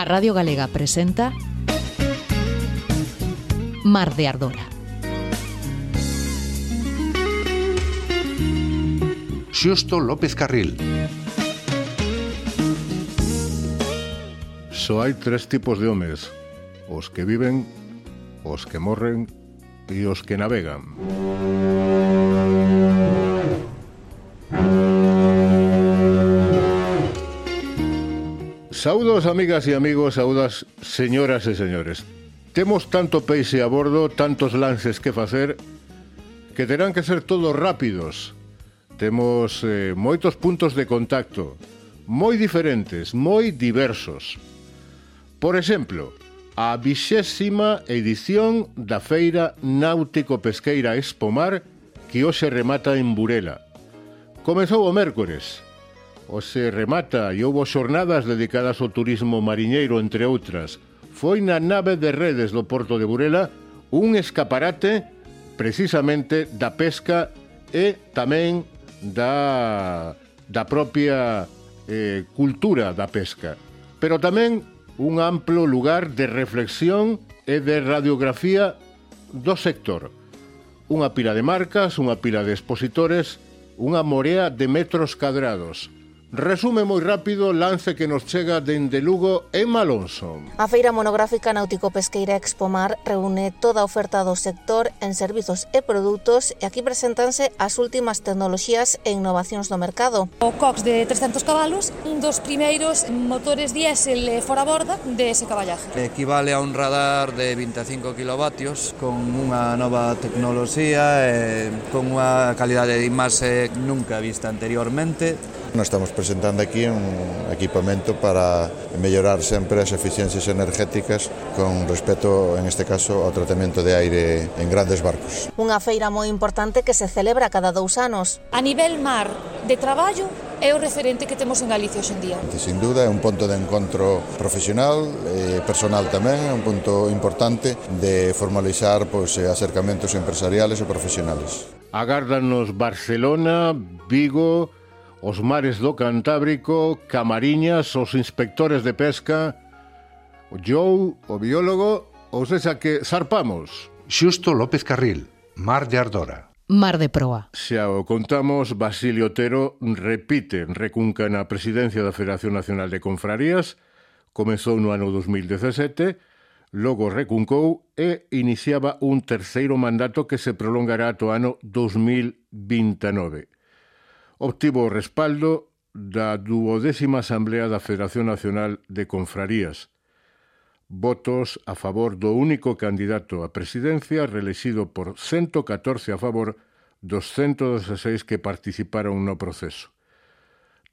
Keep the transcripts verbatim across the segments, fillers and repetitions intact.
Radio Galega presenta Mar de Ardora. Xusto López Carril. Só hai tres tipos de homes: os que viven, os que morren e os que navegan. Saúdos, amigas e amigos, saúdas, señoras e señores. Temos tanto peixe a bordo, tantos lances que facer, que terán que ser todos rápidos. Temos eh, moitos puntos de contacto, moi diferentes, moi diversos. Por exemplo, a vixésima edición da Feira Náutico-Pesqueira Expomar, que hoxe remata en Burela. Comezou o mércores. Hoxe remata e houbo xornadas dedicadas ao turismo mariñeiro, entre outras. Foi na nave de redes do Porto de Burela un escaparate precisamente da pesca e tamén da, da propia eh, cultura da pesca. Pero tamén un amplo lugar de reflexión e de radiografía do sector. Unha pila de marcas, unha pila de expositores, unha morea de metros cadrados. Resume moi rápido lance que nos chega dende Lugo e Malonso. A Feira Monográfica Náutico-Pesqueira Expomar reúne toda a oferta do sector en servizos e produtos e aquí presentanse as últimas tecnoloxías e innovacións do mercado. O Cox de trescentos cabalos, un dos primeiros motores diésel fora borda de ese caballaje. Equivale a un radar de vinte e cinco kilovatios con unha nova tecnoloxía e con unha calidade de imaxe nunca vista anteriormente. Nos estamos presentando aquí un equipamento para mellorar sempre as eficiencias energéticas con respecto, en este caso, ao tratamento de aire en grandes barcos. Unha feira moi importante que se celebra cada dous anos. A nivel mar de traballo é o referente que temos en Galicia hoxe en día. Sin duda, é un punto de encontro profesional e personal tamén, é un punto importante de formalizar pois, acercamentos empresariales e profesionales. Agárdanos Barcelona, Vigo, os mares do Cantábrico, Camariñas, os inspectores de pesca, o Joe, o biólogo, ou sexa que zarpamos. Xusto López Carril, Mar de Ardora. Mar de Proa. Xa o contamos, Basilio Otero repite, recunca na presidencia da Federación Nacional de Confrarías, comezou no ano dos mil dezasete, logo recuncou e iniciaba un terceiro mandato que se prolongará ata o ano dos mil vinte e nove. Obtivo o respaldo da duodécima Asamblea da Federación Nacional de Confrarías. Votos a favor do único candidato á presidencia, reelexido por ciento catorce a favor dos ciento dezaseis que participaron no proceso.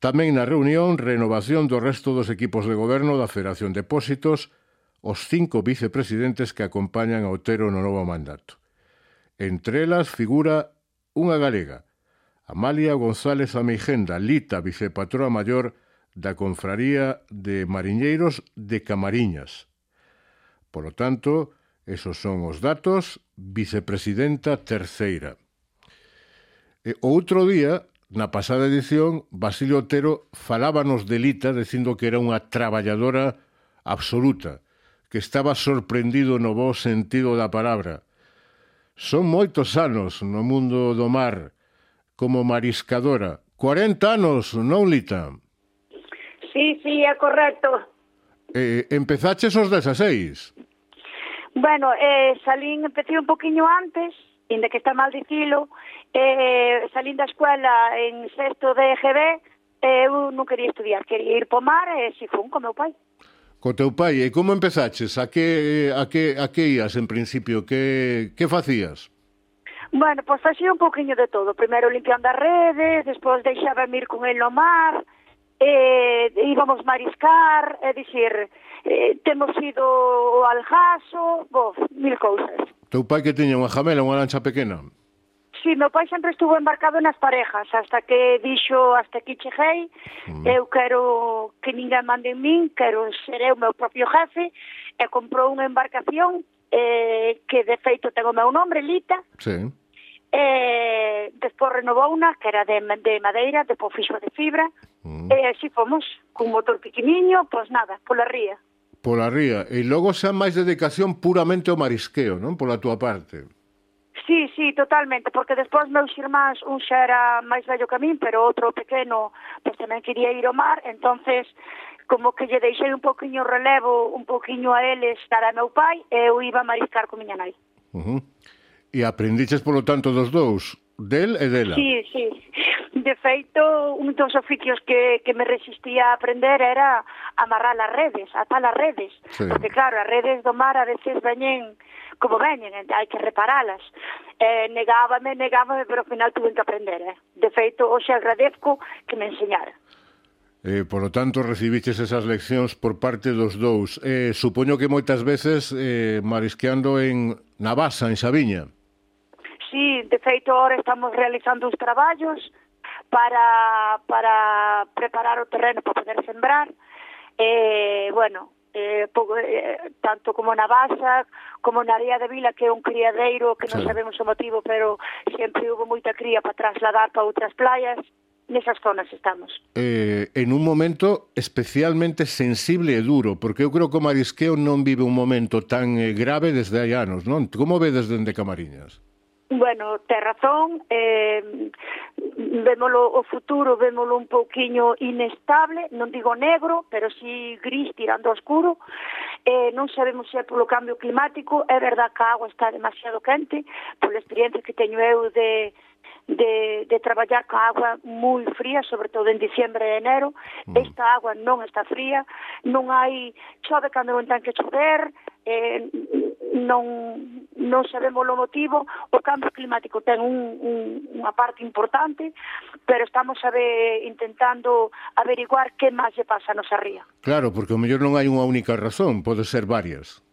Tamén na reunión, renovación do resto dos equipos de goberno da Federación de Depósitos, os cinco vicepresidentes que acompañan a Otero no novo mandato. Entre elas figura unha galega, Amalia González Ameijenda, Lita, vicepatroa maior da Confraría de Mariñeiros de Camariñas. Por lo tanto, esos son os datos, vicepresidenta terceira. E outro día, na pasada edición, Basilio Otero falábanos de Lita dicindo que era unha traballadora absoluta, que estaba sorprendido no bo sentido da palabra. Son moitos anos no mundo do mar, como mariscadora. cuarenta anos, non, Lita? Sí, sí, é correcto. Eh, empezaches os dezaseis? Bueno, eh, salín, empecé un poquinho antes, inda que está mal dicilo, eh, salín da escuela en sexto de E G B, eh, eu non quería estudiar, quería ir po mar e si fun con meu pai. Co teu pai, e como empezaches? A que, a que, a que ías en principio? Que, que facías? Bueno, pois facía un poquinho de todo. Primeiro limpiando as redes, despois deixaba ir con el no mar, eh, íbamos mariscar, é dicir, eh, temos ido ao Aljaso, bo, mil cousas. Teu pai que tiña unha jamela, unha lancha pequena? Sí, meu pai sempre estuvo embarcado nas parejas, hasta que dixo, hasta aquí cheguei, mm. eu quero que ninguén mande en min, quero ser eu meu propio jefe, e comprou unha embarcación eh, que de feito ten o meu nombre, Lita. Sí. Eh, despois renovou unha que era de, de madeira, despois fixo de fibra, mm. e así fomos, cun motor pequeniño, pois nada, pola ría. Pola ría. E logo xa máis dedicación puramente ao marisqueo, non? Pola túa parte. Sí, sí, totalmente, porque despois meus irmáns, un xa era máis vello que a min, pero outro pequeno, pois tamén quería ir ao mar, entonces como que lle deixei un poquinho relevo, un poquinho a eles para meu pai, e eu iba a mariscar con miña nai. Uh -huh. E aprendiches, polo tanto, dos dous, del e dela? Sí, sí. De feito, un dos oficios que, que me resistía a aprender era amarrar as redes, atar as redes, sí. Porque claro, as redes do mar a veces veñen como veñen, hai que reparalas. Eh, negábame, negábame, pero ao final tuve que aprender, eh. De feito, hoxe agradezco que me enseñara. Eh, por lo tanto, recibiches esas leccións por parte dos dous. Eh, supoño que moitas veces eh, marisqueando en Navasa, en Xaviña. Sí, de feito, ahora estamos realizando uns traballos para, para preparar o terreno para poder sembrar. Eh, bueno, eh, pouco, eh, tanto como na Basa, como na Ría de Vila, que é un criadeiro que non sí. sabemos o motivo, pero sempre hubo moita cría para trasladar para outras playas. Nesas zonas estamos. Eh, en un momento especialmente sensible e duro, porque eu creo que o marisqueo non vive un momento tan eh, grave desde hai anos, non? Como vedes dende Camariñas? Bueno, ten razón, eh, vémolo o futuro, vémolo un pouquiño inestable, non digo negro, pero sí gris tirando oscuro, eh, non sabemos se é polo cambio climático, é verdad que a agua está demasiado quente, pola experiencia que teño eu de, de, de traballar con agua moi fría, sobre todo en diciembre e enero, mm. esta agua non está fría, non hai, chove cando non ten que chover, eh, non, non sabemos o motivo, o cambio climático ten un, un, unha parte importante, pero estamos a ver, intentando averiguar que máis lle pasa a nosa ría. Claro, porque o mellor non hai unha única razón, pode ser varias.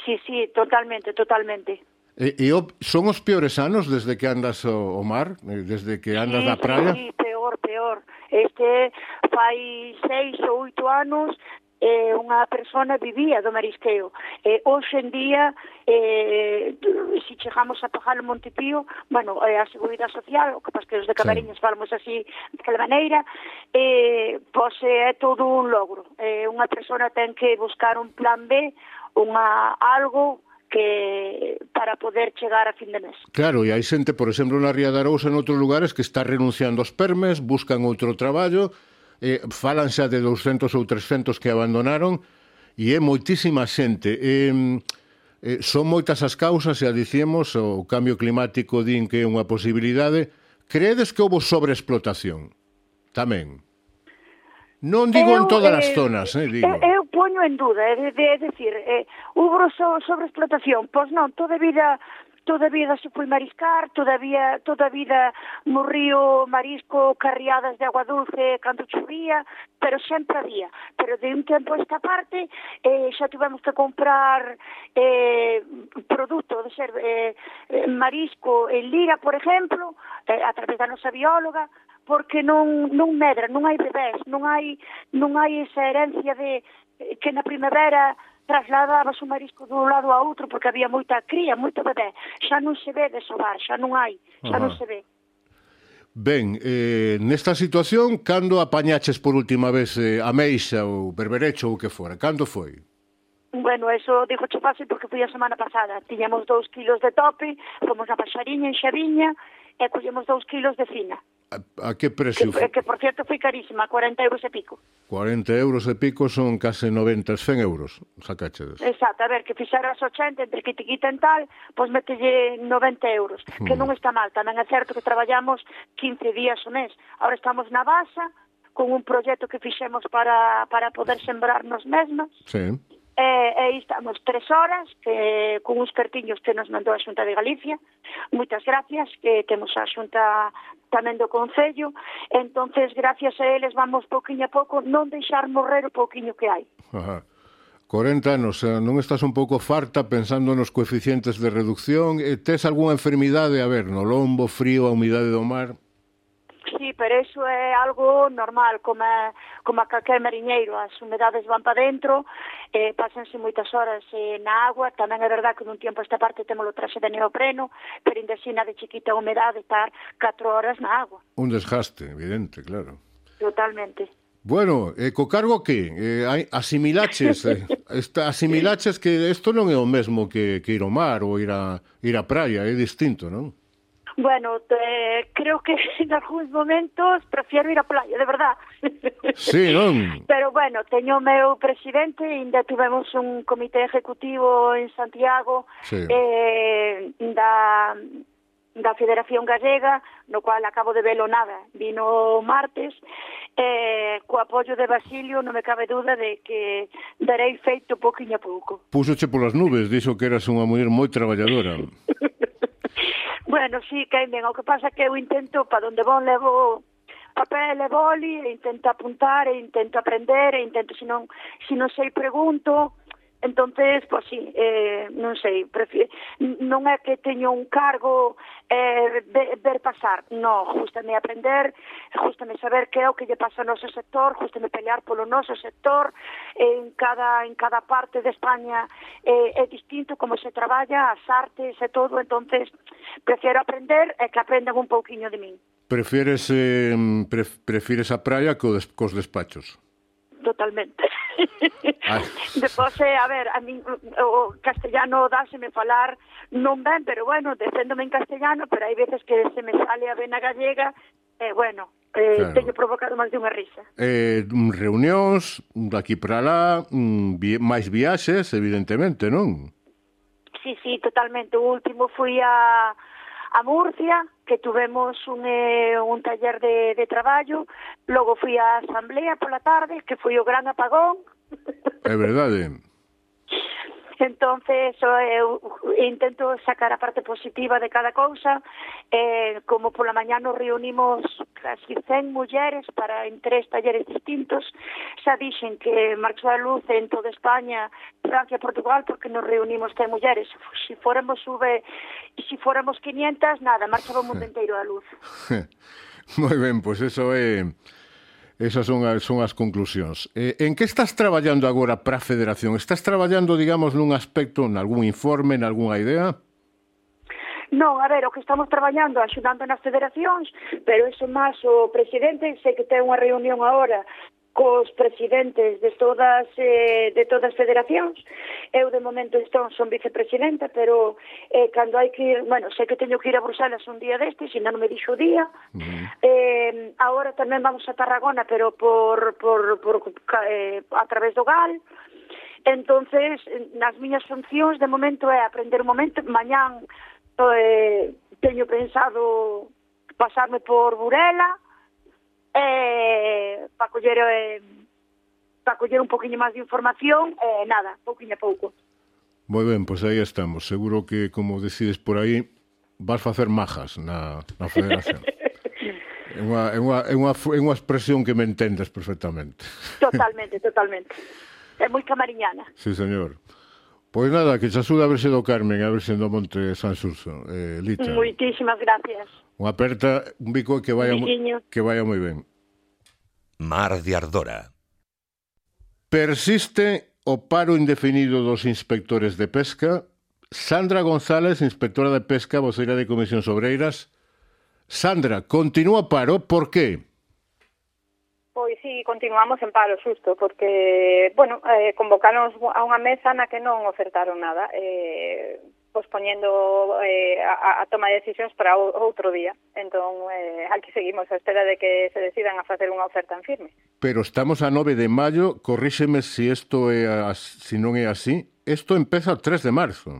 Sí, sí, totalmente, totalmente. E, e o, son os peores anos desde que andas ao, ao mar, desde que andas sí, na praia? Sí, peor, peor. Este fai seis ou oito anos eh, unha persona vivía do marisqueo. Eh, hoxe en día, eh, se chegamos a pagar o Montepío, bueno, eh, a Seguridade Social, o que pasa que os de Camariñas sí. falamos así daquela maneira, eh, pois é todo un logro. Eh, unha persona ten que buscar un plan B, unha algo que para poder chegar a fin de mes. Claro, e hai xente, por exemplo, na Ría de Arousa, en outros lugares, que está renunciando aos permes, buscan outro traballo, eh, falan xa de douscentos ou trescentos que abandonaron, e é moitísima xente. Eh, eh, son moitas as causas, e a dicíamos, o cambio climático din que é unha posibilidade. Creedes que houve sobreexplotación? Tamén. Non digo eu, en todas eh, as zonas, eh, digo. Eu, eu poño en duda, é de, de, de decir, eh, houve so, sobreexplotación, pois non, toda a vida toda a vida se foi mariscar, todavía toda a vida morrío marisco, carriadas de agua dulce cando chovía, pero sempre había. Pero de un tempo a esta parte eh, xa tivemos que comprar eh, produto de ser eh, marisco en lira, por exemplo, eh, a través da nosa bióloga, porque non, non medra, non hai bebés, non hai, non hai esa herencia de que na primavera trasladabas o marisco dun lado a outro porque había moita cría, moito bebé. Xa non se ve desovar, xa non hai, xa Ajá. non se ve. Ben, eh, nesta situación, cando apañaches por última vez eh, a meixa ou berberecho ou que fora? Cando foi? Bueno, eso digo che fácil porque fui a semana pasada. Tiñamos dous kilos de tope, fomos a Paxariña, en Xaviña, e collemos dous kilos de fina. A, a que precio que, foi? Que, por cierto, foi carísima, cuarenta euros e pico. cuarenta euros e pico son case noventa, cen euros, sacachedes. Exacto, a ver, que fixeras ochenta, entre que te quiten tal, pois metelle noventa euros, hmm. que non está mal. Tamén é certo que traballamos quince días o mes. Ahora estamos na Basa, con un proxecto que fixemos para, para poder sembrar nos mesmas. Sí. E, e aí estamos tres horas que, con uns cartiños que nos mandou a Xunta de Galicia. Moitas gracias, que temos a Xunta tamén do Concello. Entonces, gracias a eles vamos pouquiño a pouco non deixar morrer o pouquiño que hai. Ajá. corenta anos, non estás un pouco farta pensando nos coeficientes de reducción? Tes algunha enfermidade, a ver, no lombo, frío, a humidade do mar? Sí, pero eso é algo normal, como a, como a calquer mariñeiro. As humedades van para dentro, eh, pásanse moitas horas eh, na agua. Tamén é verdad que nun tiempo esta parte temos o traxe de neopreno, pero ainda así na de chiquita humedade estar catro horas na agua. Un desgaste, evidente, claro. Totalmente. Bueno, eh, co cargo que eh, asimilaches eh, esta, asimilaches que isto non é o mesmo que, que ir ao mar ou ir a, ir a praia, é distinto, non? Bueno, te, creo que en algúns momentos prefiero ir á playa, de verdad. Sí, non? Pero bueno, teño o meu presidente, ainda tivemos un comité ejecutivo en Santiago sí. eh, da... da Federación Gallega, no cual acabo de velo nada, vino martes, eh, co apoio de Basilio non me cabe duda de que darei feito pouquinho a pouco. Púsoche polas nubes, dixo que eras unha muller moi traballadora. Bueno, sí, que ben, o que pasa que eu intento, para onde von levo papel e boli, e intento apuntar, e intento aprender, e intento, se non, se non sei, pregunto. Entonces, pues sí, eh, non sei, prefiero, non é que teño un cargo eh, ver, ver pasar, no, justame aprender, justame saber que é o que lle pasa ao noso sector, justame pelear polo noso sector, en cada en cada parte de España eh, é distinto como se traballa, as artes e todo, entonces prefiero aprender e que aprendan un pouquiño de min. Prefieres eh, pref, prefieres a praia co des, cos despachos? Totalmente. Depois, eh, a ver, a mí o castellano dáseme falar non ben, pero bueno, deféndome en castellano, pero hai veces que se me sale a vena gallega, e eh, bueno, eh, claro. Teño provocado máis de unha risa. Eh, reunións daqui para lá, vi, máis viaxes, evidentemente, non? Sí, sí, totalmente. O último fui a a Murcia, que tuvemos un, eh, un taller de, de traballo, logo fui á asamblea pola tarde, que foi o gran apagón. É verdade. Entonces, eu intento sacar a parte positiva de cada cousa, eh, como pola mañá nos reunimos casi cen mulleres para en tres talleres distintos, xa dixen que marchou a luz en toda España, Francia e Portugal, porque nos reunimos cen mulleres. Si fóramos sube, e si fóramos quinientas, nada, marchaba o mundo inteiro a luz. Moi ben, pois pues eso é... Esas son as, son as conclusións. Eh, en que estás traballando agora para a Federación? Estás traballando, digamos, nun aspecto, en algún informe, en algunha idea? Non, a ver, o que estamos traballando, axudando nas federacións, pero eso máis o presidente, sei que ten unha reunión agora cos presidentes de todas eh, de todas as federacións. Eu de momento estou, son vicepresidenta, pero eh, cando hai que ir, bueno, sei que teño que ir a Bruselas un día destes, ainda non me dixo o día. Uh-huh. Eh, agora tamén vamos a Tarragona, pero por, por, por eh, a través do Gal. Entonces, nas miñas funcións de momento é aprender un momento. Mañán eh, teño pensado pasarme por Burela, eh, para coller eh, para coller un poquinho máis de información, eh, nada, pouquinho a pouco. Moi ben, pois aí estamos. Seguro que, como decides por aí, vas facer majas na, na Federación. É unha, é, unha, é, unha, é unha expresión que me entendes perfectamente. Totalmente, totalmente. É moi camariñana. Sí, señor. Pois nada, que se axuda a verse do Carmen, a verse do Monte San Xurxo, eh, Lita. Moitísimas gracias. Unha aperta, un bico que vaya, que vaya moi ben. Mar de Ardora. Persiste o paro indefinido dos inspectores de pesca. Sandra González, inspectora de pesca, voceira de Comisións Obreiras. Sandra, continúa paro, por qué? Pois sí, continuamos en paro, xusto, porque, bueno, eh, convocaron a unha mesa na que non ofertaron nada, eh, pospoñendo eh, a, a toma de decisións para o, outro día. Entón, eh, aquí seguimos a espera de que se decidan a facer unha oferta en firme. Pero estamos a nove de maio, corríxeme se isto é as, si non é así, isto empeza o tres de marzo.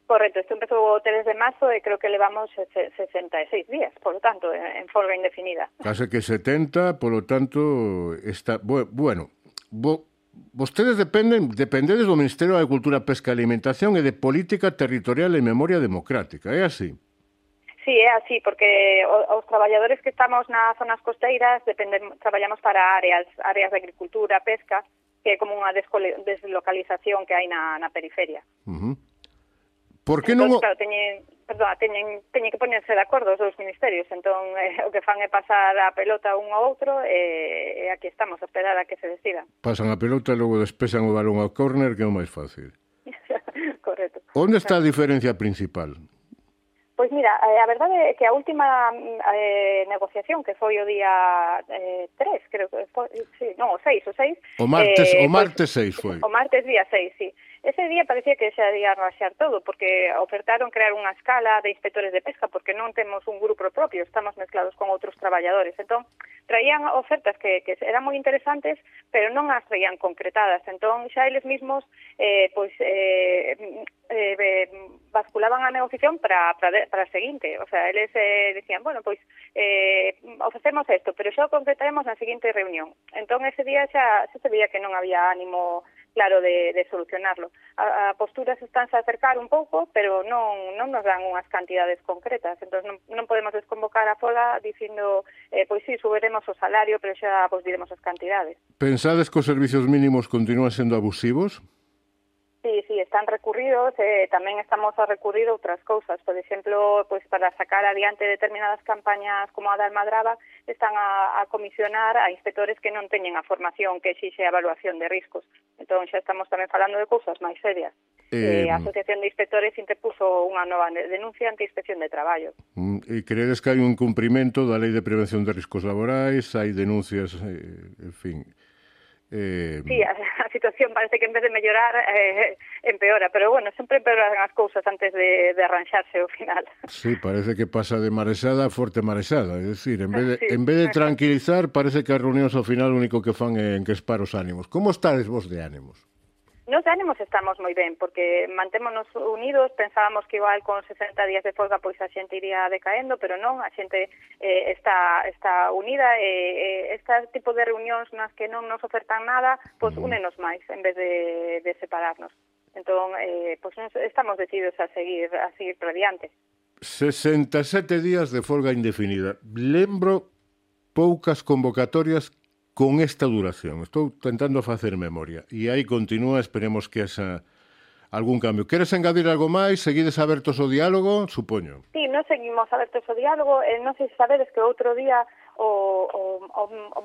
Correcto, isto empezou o tres de marzo e creo que levamos sesenta e seis días, por lo tanto, en folga indefinida. Case que setenta, por lo tanto, está... Bueno, bo, vostedes dependen, dependedes do Ministerio de Agricultura, Pesca e Alimentación e de Política Territorial e Memoria Democrática, é así? Sí, é así, porque os traballadores que estamos nas zonas costeiras dependen, traballamos para áreas, áreas de agricultura, pesca, que é como unha deslocalización que hai na, na periferia. Uh-huh. Por que entón, non... Claro, teñen, perdón, teñen, teñen que ponerse de acordo os dous ministerios, entón eh, o que fan é pasar a pelota un ao outro e eh, aquí estamos a esperar a que se decida. Pasan a pelota e logo despesan o balón ao córner, que é o máis fácil. Correcto. Onde está a diferencia principal? Pois mira, eh, a verdade é que a última eh, negociación, que foi o día eh, tres, creo que foi, sí, non, o seis, o seis. O martes, eh, o martes pois, seis foi. O martes día seis, sí. Ese día parecía que xa ia raxar todo, porque ofertaron crear unha escala de inspectores de pesca, porque non temos un grupo propio, estamos mezclados con outros traballadores. Entón, traían ofertas que, que eran moi interesantes, pero non as traían concretadas. Entón, xa eles mesmos, eh, pois, eh, eh, basculaban a negociación para, para, para a seguinte. O sea, eles eh, decían, bueno, pois, eh, ofrecemos isto, pero xa o concretaremos na seguinte reunión. Entón, ese día xa, xa se veía que non había ánimo claro de, de solucionarlo. A, a posturas estánse a acercar un pouco, pero non, non nos dan unhas cantidades concretas. Entón, non, non podemos desconvocar a folga dicindo, eh, pois sí, subiremos o salario, pero xa vos diremos as cantidades. Pensades que os servicios mínimos continúan sendo abusivos? Sí, sí, están recurridos, eh, tamén estamos a recurrir outras cousas. Por exemplo, pois para sacar adiante determinadas campañas como a da Almadraba, están a, a comisionar a inspectores que non teñen a formación que exixe a evaluación de riscos. Entón, xa estamos tamén falando de cousas máis serias. Eh, a Asociación de Inspectores interpuso unha nova denuncia ante Inspección de Traballo. E credes que hai un cumprimento da Lei de Prevención de Riscos Laborais? Hai denuncias, eh, en fin... Eh... Sí, a, a situación parece que en vez de mellorar eh, empeora, pero bueno, sempre empeoran as cousas antes de, de arranxarse ao final. Sí, parece que pasa de marexada a forte marexada, é dicir, en vez de, sí. en vez de tranquilizar, parece que as reunións ao final o único que fan é enquespar os ánimos. Como estades vos de ánimos? Nos de ánimos estamos moi ben, porque mantémonos unidos, pensábamos que igual con sesenta días de folga pois a xente iría decaendo, pero non, a xente eh, está está unida, e eh, este tipo de reunións nas que non nos ofertan nada, pois únenos máis, en vez de, de separarnos. Entón, eh, pois estamos decididos a seguir a seguir por adiante. sesenta e sete días de folga indefinida. Lembro poucas convocatorias con esta duración. Estou tentando facer memoria. E aí continúa, esperemos que esa algún cambio. Queres engadir algo máis? Seguides abertos ao diálogo? Supoño. Sí, non seguimos abertos ao diálogo. Eh, non sei se sabedes que outro día, o, o, o, o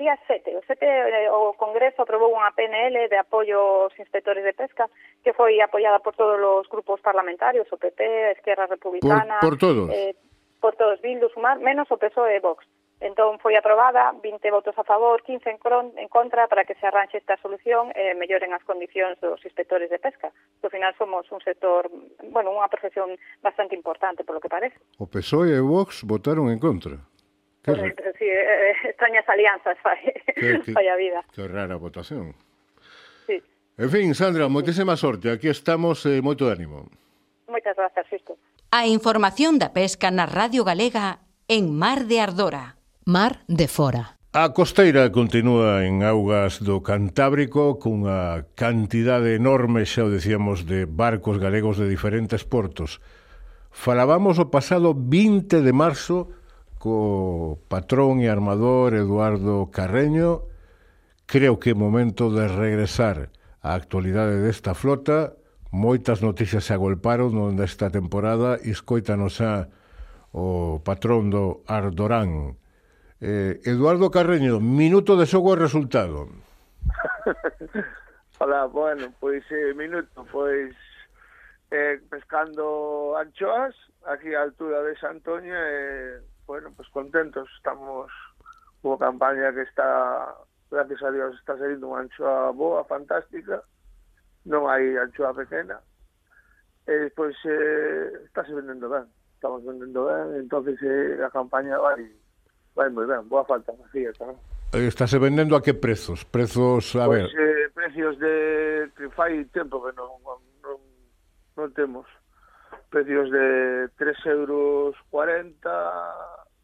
día sete, o sete, o Congreso aprobou unha P N L de apoio aos inspectores de pesca, que foi apoiada por todos os grupos parlamentarios, o P P, a Esquerra Republicana... Por, por todos? Eh, por todos, Bildu, Sumar, menos o P S O E e Vox. Entón foi aprobada, vinte votos a favor, quince en, cron, en contra para que se arranxe esta solución e eh, melloren as condicións dos inspectores de pesca. Ao final somos un sector, bueno, unha profesión bastante importante, polo que parece. O P S O E e Vox votaron en contra. Que Correcto, sí, eh, extrañas alianzas fai, que, que, fai a vida. Que rara votación. Sí. En fin, Sandra, moitísima sorte. Aquí estamos, eh, moito de ánimo. Moitas grazas, Sisto. A información da pesca na Radio Galega en Mar de Ardora. Mar de Fora. A costeira continúa en augas do Cantábrico cunha cantidade enorme, xa o decíamos, de barcos galegos de diferentes portos. Falábamos o pasado vinte de marzo co patrón e armador Eduardo Carreño. Creo que é momento de regresar á actualidade desta flota. Moitas noticias se agolparon nesta temporada e escoítanos a o patrón do Ardorán. Eh, Eduardo Carreño, minuto de xogo e resultado. Hola, bueno, pois eh, minuto, pois eh, pescando anchoas aquí á altura de Santoña e, eh, bueno, pois contentos, estamos unha campaña que está, gracias a Dios, está salindo unha anchoa boa, fantástica, non hai anchoa pequena, e pois eh, está se vendendo ben, estamos vendendo ben, entonces eh, a campaña vai vai moi ben, boa falta, vacía tamén. Estáse vendendo a que prezos? Prezos, a pues, ver... Eh, precios de... que fai tempo que non, non, non temos. Precios de tres euros cuarenta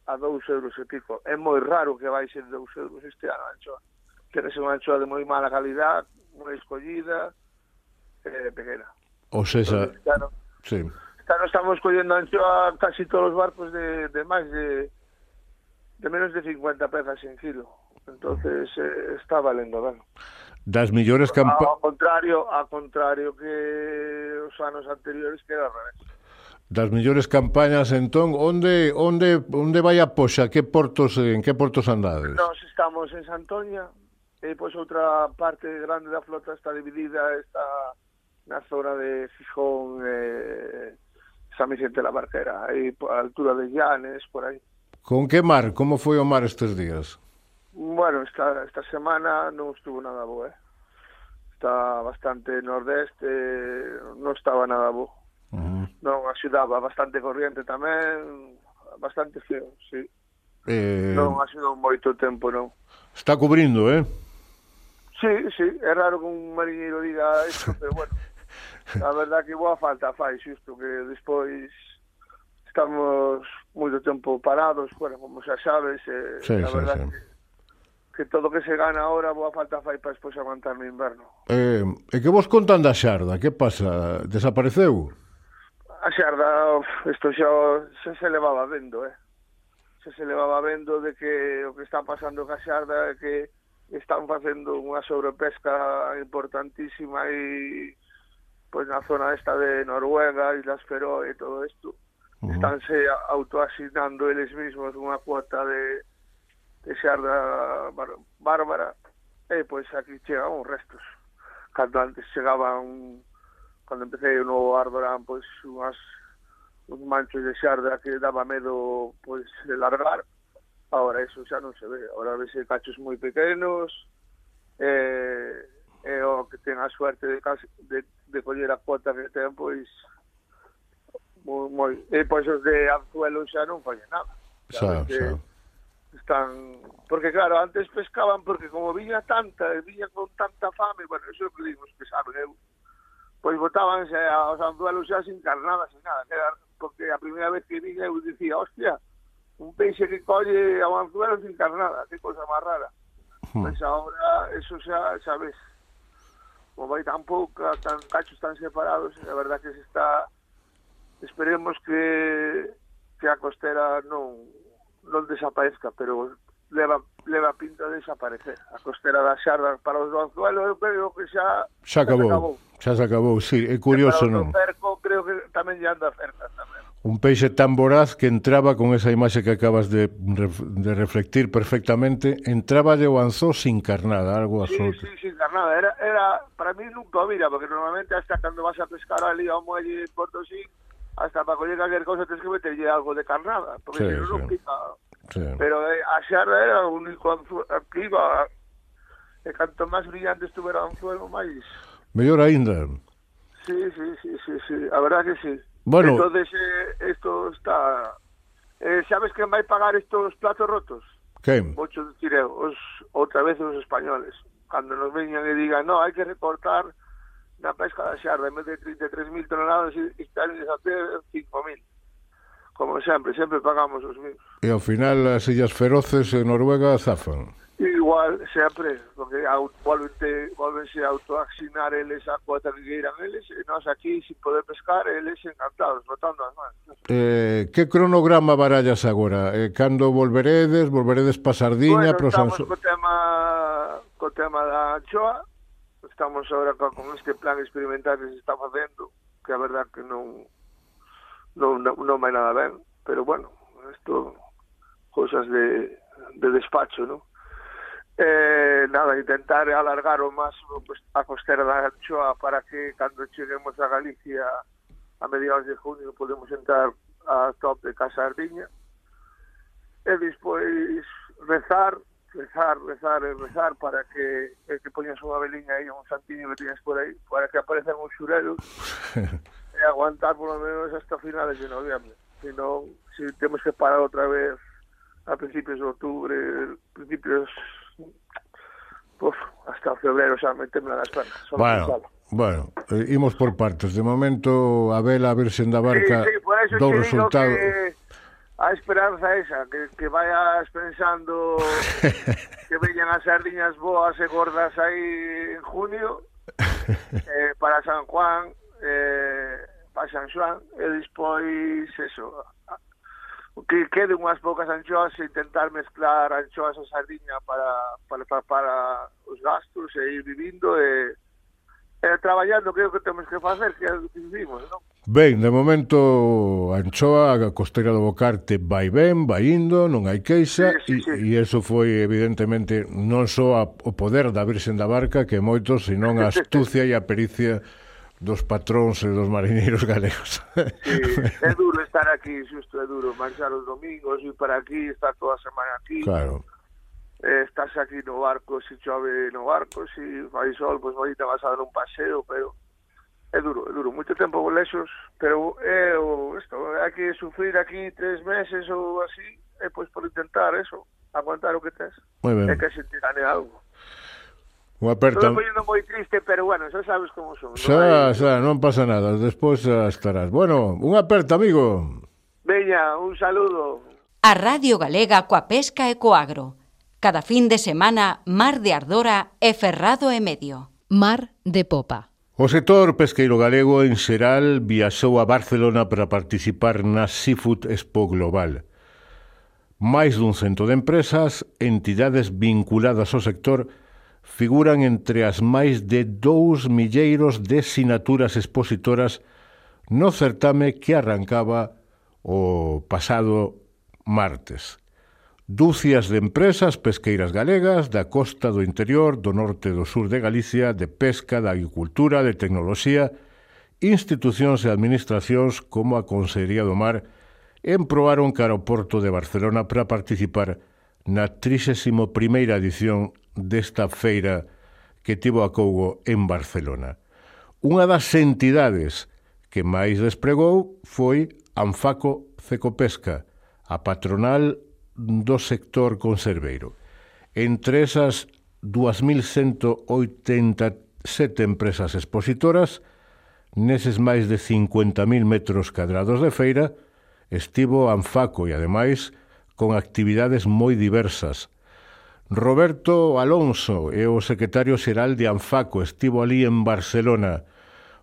a dous euros e pico. É moi raro que vai ser dous euros este ano, anchoa. Quere ser unha anchoa de moi mala calidad, moi escollida, eh, pequena. O sea, claro, sí. Claro, estamos collendo anchoa casi todos os barcos de, de máis de de menos de cincuenta pezas en kilo. Entonces eh, está valendo ben. Das millores campañas... Ao contrario, ao contrario que os anos anteriores, que era ao revés. Das millores campañas, entón, onde onde onde vai a poxa? Que portos, en que portos andades? Nós estamos en Santoña, e pois outra parte grande da flota está dividida, está na zona de Fijón, eh, San Vicente de la Barquera, aí por a altura de Llanes, por aí. Con que mar? Como foi o mar estes días? Bueno, esta, esta semana non estuvo nada bo, eh? Está bastante nordeste, non estaba nada bo. Uh-huh. Non axudaba, bastante corriente tamén, bastante feo, sí. Eh... Non axudou moito tempo, non. Está cubrindo, eh? Sí, sí, é raro que un mariñeiro diga isto, pero bueno, a verdad que boa falta fai, xusto, que despois estamos moito tempo parados, bueno, como xa sabes, eh, sí, a sí, verdad sí. que que todo que se gana ahora boa falta fai para despois aguantar no inverno. Eh, e que vos contan da Xarda? Que pasa? Desapareceu? A Xarda, isto xa, xa se levaba vendo, eh? Xa se levaba vendo de que o que está pasando ca Xarda é que están facendo unha sobrepesca importantísima e pois na zona esta de Noruega, Islas Feroe e todo isto. Uh-huh. Estánse autoasignando eles mesmos unha cuota de de xarda bárbara, e pois aquí chegan os restos. Cando antes chegaban, cando empecé o novo Ardorán, pois unhas, uns manchos de xarda que daba medo pois de largar. Agora eso xa non se ve, agora vese cachos moi pequenos, e, e o que ten a suerte de, de, de coller a cuota que ten, pois moi, moi, e pois os de anzuelo xa non fallen nada. Xa, xa. Están, porque claro, antes pescaban porque como viña tanta, viña con tanta fame, bueno, eso é o que digo, que saben eu, pois botábanse aos anzuelos xa sin carnada, sin nada, era, porque a primeira vez que viña eu dicía, hostia, un peixe que colle ao anzuelo sin carnada, que cosa máis rara. Hmm. Pois agora, eso xa, xa ves, como vai tan pouca, tan cachos tan separados, a verdad que se está, esperemos que, que a costera non non desaparezca, pero leva leva pinta de desaparecer. A costera da Xarda para os do anzuelo, eu creo que xa xa acabou. Xa se acabou, xa se acabou, sí, é curioso, non? Para o cerco, creo que tamén lle anda cerca tamén. Un peixe tan voraz que entraba con esa imaxe que acabas de, de reflectir perfectamente, entraba de o anzó sin carnada, algo absoluto. Sí, sí, sin carnada. Era, era, para mí nunca o mira, porque normalmente hasta cando vas a pescar ali ao muelle de Potosí, hasta para coller cualquier cosa tens que meterlle algo de carnada, porque sí, si non, sí. non pica. Sí. Pero eh, a xarda era o único anzuelo que iba, e canto máis brillante estuvera o anzuelo, máis... Mellor aínda. Sí, sí, sí, sí, sí, a verdad que sí. Bueno... Entonces, eh, esto está... Eh, ¿sabes quen vai pagar estos platos rotos? Quen? Muchos dicir eu, os, outra vez os españoles. Cando nos veñan e digan, no, hai que recortar na pesca da xarda, en vez de trinta e tres mil toneladas, están a ter cinco mil. Como sempre, sempre pagamos os mismos. E ao final as Illas Feroces en Noruega zafan. Igual, sempre, porque volvense a autoasignar eles a cuota que queiran eles, e nós aquí, sin poder pescar, eles encantados, botando as mans. Eh, que cronograma barallas agora? Eh, cando volveredes? Volveredes pa Sardiña? Bueno, estamos co tema, co tema da anchoa, estamos agora con este plan experimental que se está facendo, que a verdad que non non, non, non vai nada ben, pero bueno, isto, cosas de, de despacho, non? Eh, nada, intentar alargar o máximo pues, a costera da anchoa para que cando cheguemos a Galicia a mediados de junio podemos entrar a top de Casa Sardiña e despois rezar rezar, rezar e rezar para que que poñas unha veliña aí, un santiño que tienes por aí, para que aparezan os xurelos e aguantar por lo menos hasta finales de noviembre, senón si temos que parar outra vez a principios de outubro, principios Uf, hasta febrero xa meteme nas pernas. Bueno, bueno, eh, imos por partes. De momento, a vela a Virxen da Barca sí, sí, por eso do te resultado. Digo que a esperanza esa, que, que vayas pensando que veñan as sardiñas boas e gordas aí en junio eh, para San Juan, eh, para San Xoán, e despois eso, que queden unhas poucas anchoas e intentar mezclar anchoas e sardiña para, para, para, para os gastos e ir vivindo e, e traballando, creo que temos que facer, que é o que vivimos, non? Ben, de momento a anchoa, a costeira do Bocarte vai ben, vai indo, non hai queixa, sí, sí, sí. E, e eso foi evidentemente non só a, o poder da Virxen da Barca, que moitos, senón a astucia e a pericia dos patróns e dos mariñeiros galegos. Sí, é duro estar aquí, xusto é duro marchar os domingos, ir para aquí, estar toda a semana aquí. Claro. Eh, estás aquí no barco, se chove no barco, se fai sol, pois pues, te vas a dar un paseo, pero é duro, é duro, moito tempo lexos, pero é o isto, hai que sufrir aquí tres meses ou así, e pois por intentar eso, aguantar o que tes. Moi ben. É que se te gane algo. Un aperta... Estou poñendo moi triste, pero bueno, xa sabes como son. Xa, xa, non pasa nada, despois xa estarás. Bueno, un aperta, amigo. Veña, un saludo. A Radio Galega coa pesca e co agro. Cada fin de semana, Mar de Ardora e Ferrado e Medio. Mar de Popa. O sector pesqueiro galego en xeral viaxou a Barcelona para participar na Seafood Expo Global. Máis dun cento de empresas, entidades vinculadas ao sector, figuran entre as máis de dous milleiros de sinaturas expositoras no certame que arrancaba o pasado martes. Dúcias de empresas pesqueiras galegas da costa do interior, do norte e do sur de Galicia, de pesca, de agricultura, de tecnoloxía, institucións e administracións como a Consellería do Mar emproaron cara ao Porto de Barcelona para participar na trixésima primeira edición desta feira que tivo a cougo en Barcelona. Unha das entidades que máis despregou foi Anfaco Cecopesca, a patronal do sector conserveiro. Entre esas dúas mil cento oitenta e sete empresas expositoras, neses máis de cincuenta mil metros cadrados de feira, estivo Anfaco e, ademais, con actividades moi diversas. Roberto Alonso é o secretario xeral de Anfaco, estivo ali en Barcelona.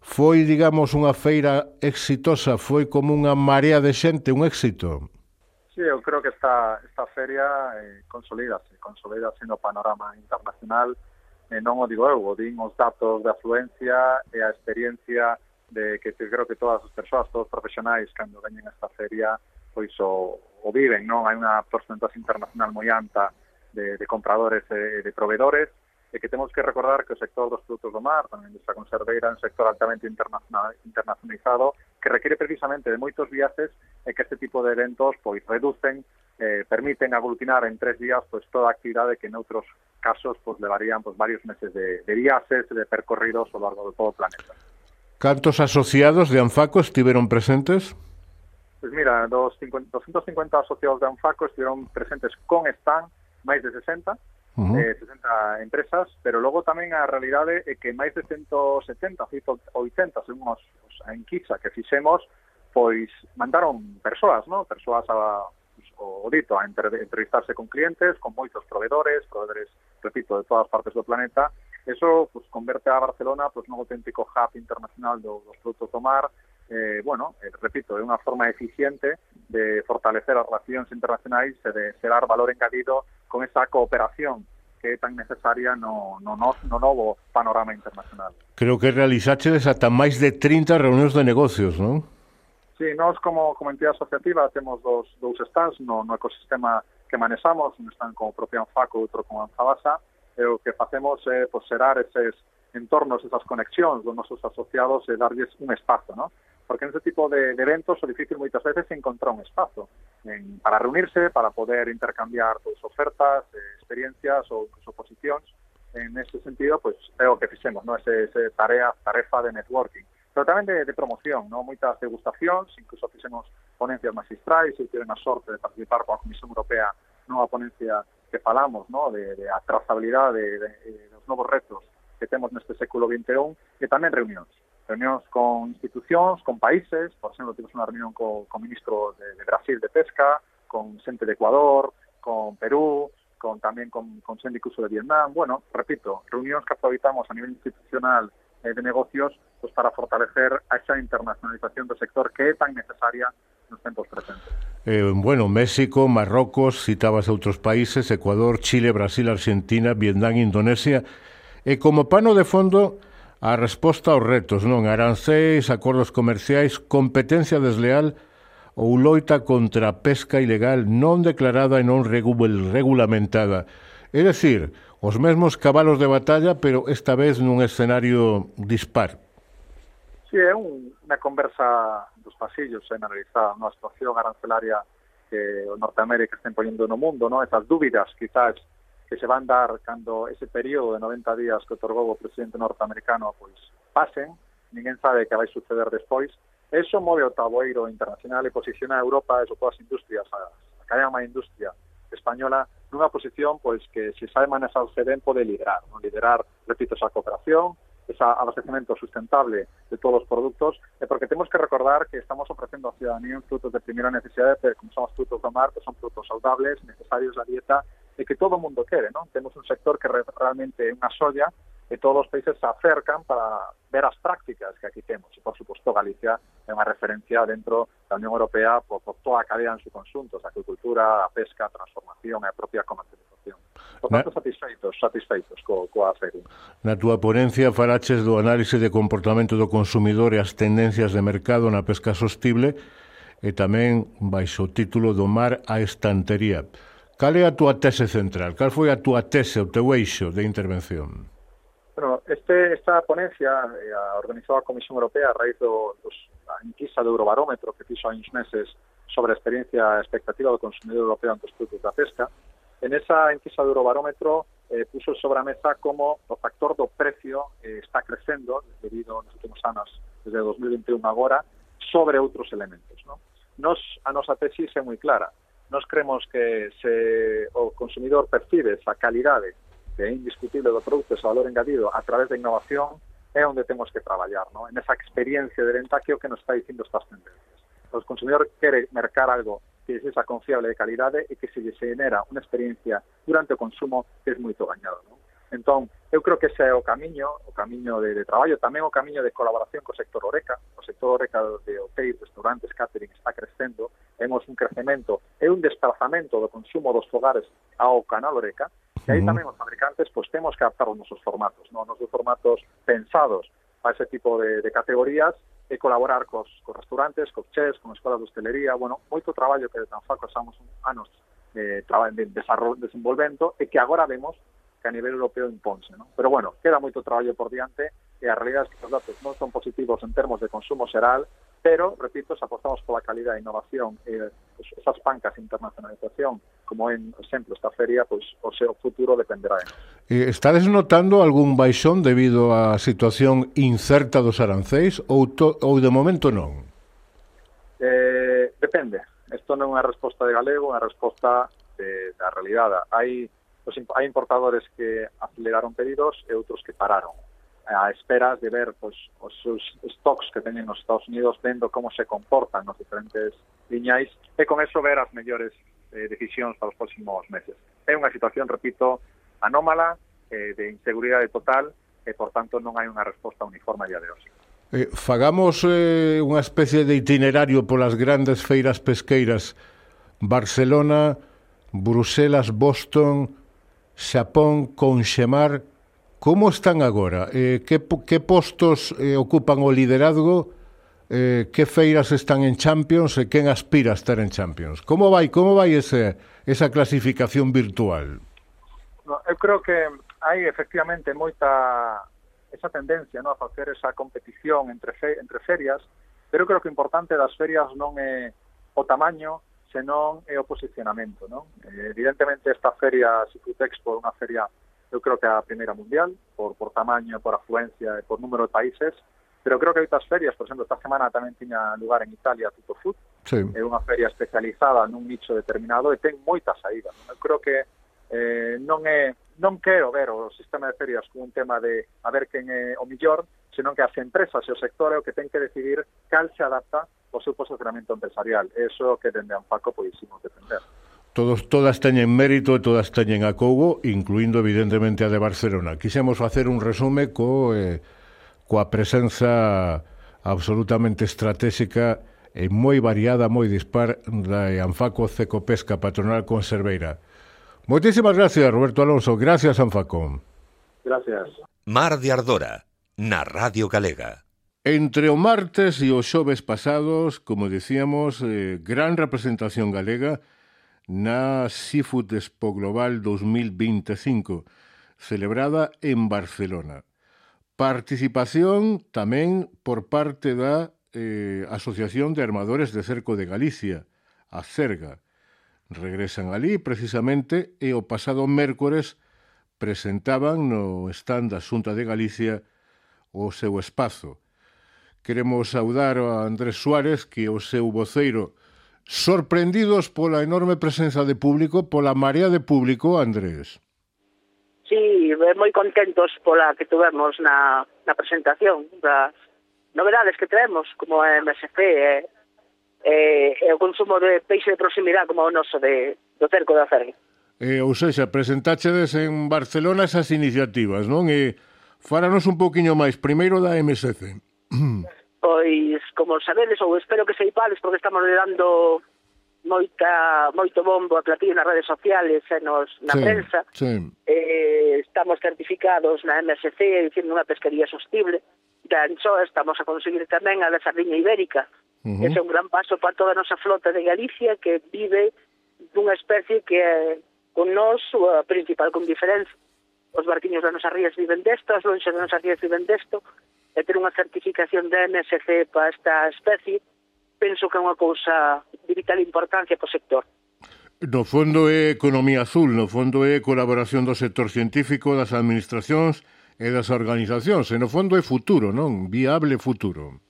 Foi, digamos, unha feira exitosa, foi como unha marea de xente, un éxito. Sí, eu creo que esta, esta feria eh, consolídase, consolídase no panorama internacional, eh, non o digo eu, o din os datos de afluencia e a experiencia de que creo que todas as persoas, todos os profesionais, cando veñen a esta feria, pois o, o viven, non? Hai unha porcentaxe internacional moi alta de, de compradores e de proveedores, e que temos que recordar que o sector dos produtos do mar, tamén desta conserveira, é un sector altamente internacional, internacionalizado, que requiere precisamente de moitos viaxes e que este tipo de eventos pois reducen, eh, permiten aglutinar en tres días pois toda a actividade que en outros casos pois levarían pois varios meses de, de viaxes, de percorridos ao largo de todo o planeta. Cantos asociados de Anfaco estiveron presentes? Pois mira, dos doscientos cincuenta asociados de Anfaco estiveron presentes con stand máis de sesenta, Uh-huh. eh, sesenta empresas, pero logo tamén a realidade é que máis de ciento setenta, ciento oitenta, según os, os a enquisa que fixemos, pois mandaron persoas, ¿no? Persoas a, o dito, a entrevistarse con clientes, con moitos proveedores, proveedores, repito, de todas partes do planeta. Eso pues, converte a Barcelona pues, nun auténtico hub internacional do, dos produtos do mar. Eh, bueno, eh, repito, é unha forma eficiente de fortalecer as relacións internacionais e de xerar valor engadido con esa cooperación que é tan necesaria no, no, no, no novo panorama internacional. Creo que realizaches ata máis de trinta reunións de negocios, non? Sí, nós como, como entidade asociativa temos dos, dous stands no, no ecosistema que manexamos, un stand como o propio Anfaco, outro como Anfabasa, e o que facemos é pues, xerar eses entornos, esas conexións dos nosos asociados e darlles un espazo, ¿no? Porque en ese tipo de, de eventos o difícil moitas veces encontrar un espazo en, para reunirse, para poder intercambiar pues, ofertas, eh, experiencias ou incluso posicións. En ese sentido, pues, é o que fixemos, ¿no? Ese, ese tarea, tarefa de networking. Pero tamén de, de promoción, ¿no? Moitas degustacións, incluso fixemos ponencias magistrais, e tive a sorte de participar coa Comisión Europea nunha ponencia que falamos, ¿no? De, de a trazabilidade de, de, de, dos novos retos que temos neste século vinte e un, e tamén reunións. Reunións con institucións, con países, por exemplo, tivemos unha reunión co, co ministro de, de Brasil de Pesca, con xente de Ecuador, con Perú, con tamén con, con xente incluso de Vietnam. Bueno, repito, reunións que aproveitamos a nivel institucional eh, de negocios pues, para fortalecer a esa internacionalización do sector que é tan necesaria nos tempos presentes. Eh, bueno, México, Marrocos, citabas outros países, Ecuador, Chile, Brasil, Argentina, Vietnam, Indonesia, e como pano de fondo a resposta aos retos, non? Arancéis, acordos comerciais, competencia desleal ou loita contra a pesca ilegal non declarada e non regulamentada. É dicir, os mesmos cabalos de batalla, pero esta vez nun escenario dispar. Sí, é un, unha conversa dos pasillos en analizar a situación arancelaria que o Norteamérica estén poñendo no mundo, ¿no? Esas dúbidas, quizás, que se van dar cando ese período de noventa días que otorgou o presidente norteamericano pois pasen, ninguén sabe que vai suceder despois. Eso move o tabueiro internacional e posiciona a Europa e todas as industrias, a, a cadena má industria española, nunha posición pois que se sabe manejarse ben pode liderar, ¿no? Liderar, repito, esa cooperación, ese abastecimiento sustentable de todos os produtos, e porque temos que recordar que estamos ofrecendo a ciudadanía frutos de primeira necesidade, pero como son os frutos do mar, que son frutos saudables, necesarios da dieta, e que todo o mundo quere, ¿no? Temos un sector que realmente é unha solla e todos os países se acercan para ver as prácticas que aquí temos. E, por suposto, Galicia é unha referencia dentro da Unión Europea por, por toda a cadea en su conjunto, a agricultura, a pesca, a transformación e a propia comercialización. Por tanto, Na... satisfeitos, satisfeitos co, coa feria. Na túa ponencia falaches do análise de comportamento do consumidor e as tendencias de mercado na pesca sostible e tamén baixo o título do mar á estantería. Cal é a túa tese central? Cal foi a túa tese, o teu eixo de intervención? Bueno, este, esta ponencia eh, a organizou a Comisión Europea a raíz do, dos, da enquisa do Eurobarómetro que fixo hai uns meses sobre a experiencia expectativa do consumidor europeo ante os produtos da pesca. En esa enquisa do Eurobarómetro eh, puso sobre a mesa como o factor do precio eh, está crecendo debido nos últimos anos, desde dos mil veintiún agora, sobre outros elementos, ¿no? Nos, a nosa tesis é moi clara. Nos creemos que se o consumidor percibe esa calidade que é indiscutible do produto, ese valor engadido a través da innovación, é onde temos que traballar, ¿no? En esa experiencia de venta que é o que nos está dicindo estas tendencias. O consumidor quere mercar algo que é esa confiable de calidade e que se lle genera unha experiencia durante o consumo que é moito gañado, ¿no? Entón, eu creo que ese é o camiño, o camiño de, de traballo, tamén o camiño de colaboración co sector Horeca. O sector Horeca de hotéis, restaurantes, catering está crecendo, temos un crecemento e un desplazamento do consumo dos fogares ao canal Horeca, e aí tamén os fabricantes pois temos que adaptar os nosos formatos, ¿no? Os nosos formatos pensados para ese tipo de, de categorías e colaborar cos, cos restaurantes, cos chefs, con escolas de hostelería, bueno, moito traballo que de Tanfaco estamos anos de, de, de desenvolvendo e que agora vemos que a nivel europeo imponse, ¿no? Pero bueno, queda moito traballo por diante e a realidade é que os datos non son positivos en termos de consumo xeral, pero, repito, se apostamos pola calidad e innovación e pues, esas pancas de internacionalización, como en exemplo esta feria, pois pues, o seu futuro dependerá de nós. Estades notando algún baixón debido á situación incerta dos arancéis ou, to, ou de momento non? Eh, depende. Isto non é unha resposta de galego, é unha resposta de, da realidade. Hai Pues, hai importadores que aceleraron pedidos e outros que pararon a esperas de ver pues, os seus stocks que teñen nos Estados Unidos, vendo como se comportan nos diferentes liñais e con eso ver as mellores eh, decisións para os próximos meses. É unha situación, repito, anómala, eh, de inseguridade total e, por tanto, non hai unha resposta uniforme a día de hoxe. Eh, fagamos eh, unha especie de itinerario polas grandes feiras pesqueiras Barcelona, Bruselas, Boston, Xapón, Conxemar. Como están agora? Eh, que, que postos eh, ocupan o liderazgo? Eh, que feiras están en Champions e quen aspira a estar en Champions? Como vai, como vai ese, esa clasificación virtual? No, eu creo que hai efectivamente moita esa tendencia, ¿no?, a facer esa competición entre, fe, entre ferias, pero eu creo que o importante das ferias non é o tamaño, senón é o posicionamento, non? Eh, evidentemente esta feria Seafood Expo é unha feria, eu creo que é a primeira mundial, por, por tamaño, por afluencia e por número de países, pero creo que hai outras ferias, por exemplo, esta semana tamén tiña lugar en Italia Tutto Food, sí. É unha feria especializada nun nicho determinado e ten moita saída, non? Eu creo que eh, non é non quero ver o sistema de ferias como un tema de a ver quen é o millor, senón que as empresas e o sector é o que ten que decidir cal se adapta o seu posicionamento empresarial. Eso que dende Anfaco poderíamos defender. Todos, todas teñen mérito e todas teñen acougo, incluindo evidentemente a de Barcelona. Quixemos facer un resume co, eh, coa presenza absolutamente estratégica e moi variada, moi dispar da Anfaco Cecopesca Patronal Conserveira. Moitísimas gracias, Roberto Alonso. Gracias, Anfaco. Gracias. Mar de Ardora, na Radio Galega. Entre o martes e os xoves pasados, como dicíamos, eh, gran representación galega na Seafood Expo Global dos mil veinticinco, celebrada en Barcelona. participación tamén por parte da eh, Asociación de Armadores de Cerco de Galicia, a Cerga. Regresan ali precisamente e o pasado mércores presentaban no stand da Xunta de Galicia o seu espazo. Queremos saudar a Andrés Suárez, que o seu voceiro, sorprendidos pola enorme presenza de público, pola marea de público, Andrés. Sí, moi contentos pola que tuvemos na, na presentación das novedades que traemos, como a M S C e, e, e o consumo de peixe de proximidade como o noso de, do cerco da Cerga. Eh, ou seja, presentáchedes en Barcelona esas iniciativas, non? E fáranos un poquinho máis, primeiro da M S C. Pois, como sabedes, ou espero que seipades, porque estamos dando moita, moito bombo a platillo nas redes sociales e nos, na sí, prensa. Sí. Eh, estamos certificados na M S C dicindo unha pesquería sostible. Da anchoa estamos a conseguir tamén a da sardiña ibérica. Uh-huh. Ese é un gran paso para toda a nosa flota de Galicia, que vive dunha especie que é con nós a principal con diferencia. Os barquiños das nosas rías viven desto, as lonxas das nosas rías viven desto, e ter unha certificación da M S C para esta especie, penso que é unha cousa de vital importancia para o sector. No fondo é economía azul, no fondo é colaboración do sector científico, das administracións e das organizacións, e no fondo é futuro, non? Viable futuro.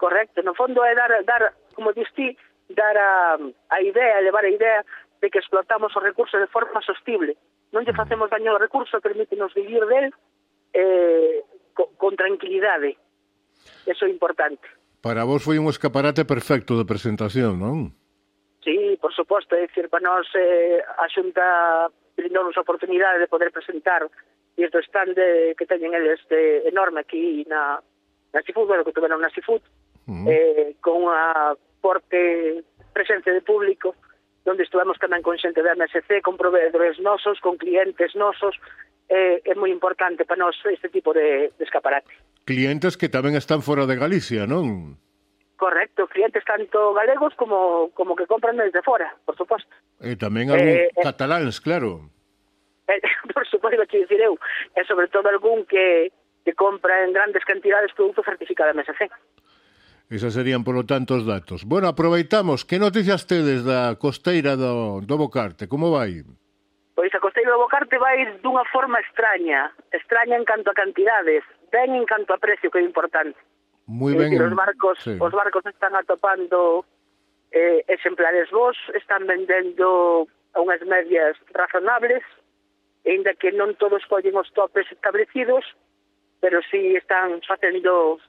Correcto, no fondo é dar, dar como distí, dar a, a idea, elevar a idea de que explotamos os recursos de forma sostible. Non lle facemos daño ao recurso, permítenos vivir del eh, con, con tranquilidade. Eso é importante. Para vos foi un escaparate perfecto de presentación, non? Sí, por suposto, é dicir, para nós eh, a Xunta brindou-nos a oportunidade de poder presentar desde o stand de, que teñen eles de, enorme aquí na, na Seafood, bueno, que tuveron na Seafood, uh-huh. eh, con unha forte presencia de público, onde estuvemos tamén con xente da M S C, con proveedores nosos, con clientes nosos, eh, é moi importante para nós este tipo de, de escaparate. Clientes que tamén están fora de Galicia, non? Correcto, clientes tanto galegos como, como que compran desde fora, por suposto. E tamén algún eh, cataláns, claro. Eh, por suposto, que dicir eu, e sobre todo algún que, que compra en grandes cantidades produto certificado M S C. Esas serían, polo tanto, os datos. Bueno, aproveitamos. Que noticias tedes da costeira do, do Bocarte? Como vai? Pois a costeira do Bocarte vai dunha forma extraña. Extraña en canto a cantidades, ben en canto a precio, que é importante. Moi ben. Os barcos, sí. os barcos están atopando eh, exemplares vos, están vendendo a unhas medias razonables, ainda que non todos collen os topes establecidos, pero sí están facendo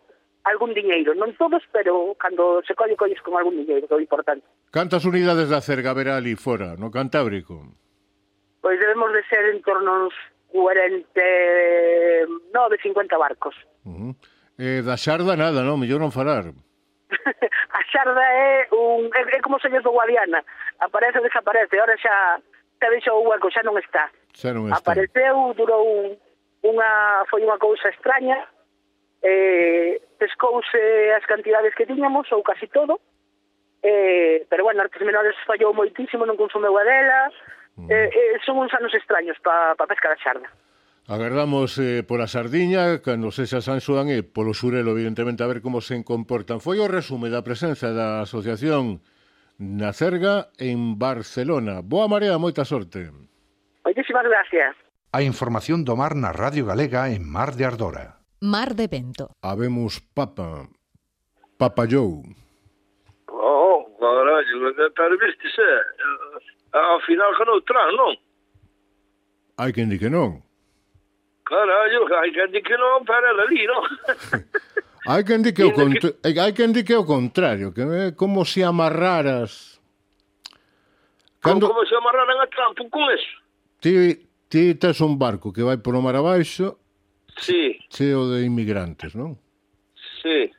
algún diñeiro, non todos, pero cando se colle, colles con algún diñeiro, que é importante. Cantas unidades da Cerga haberá ali fora, no Cantábrico? Pois debemos de ser en torno uns cuarenta e nove, cincuenta barcos. Uh-huh. Eh, da Xarda nada, non? Mellor non falar. A Xarda é un é, é como señor do Guadiana, aparece ou desaparece, ahora xa xa deixou o hueco, xa non está. Xa non está. Apareceu, durou un, unha foi unha cousa extraña. Eh, pescouse as cantidades que tiñamos, ou casi todo, eh, pero bueno, Artes Menores fallou moitísimo, non consumeu a dela, mm. eh, eh, son uns anos extraños para pa pesca da Xarda. Agardamos eh, pola sardiña, cando sexa San Xoán e polo Xurelo, evidentemente, a ver como se comportan. Foi o resume da presenza da Asociación na Cerga en Barcelona. Boa marea, moita sorte. Moitísimas gracias. A información do mar na Radio Galega en Mar de Ardora. Mar de Vento. Habemos papa. Papa Joe. Oh, carallo, pero viste se, ao final ganou Trump, non? Hai quen di que non. Carallo, hai quen di que non, pero ela ali, non? hai quen di que o contra... que... hai quen di que o contrario, que é como se amarraras. Cando... Como, como se amarraran a Trump con eso? Ti, ti tes un barco que vai por o mar abaixo. Sí. Cheo de inmigrantes, non? Sí.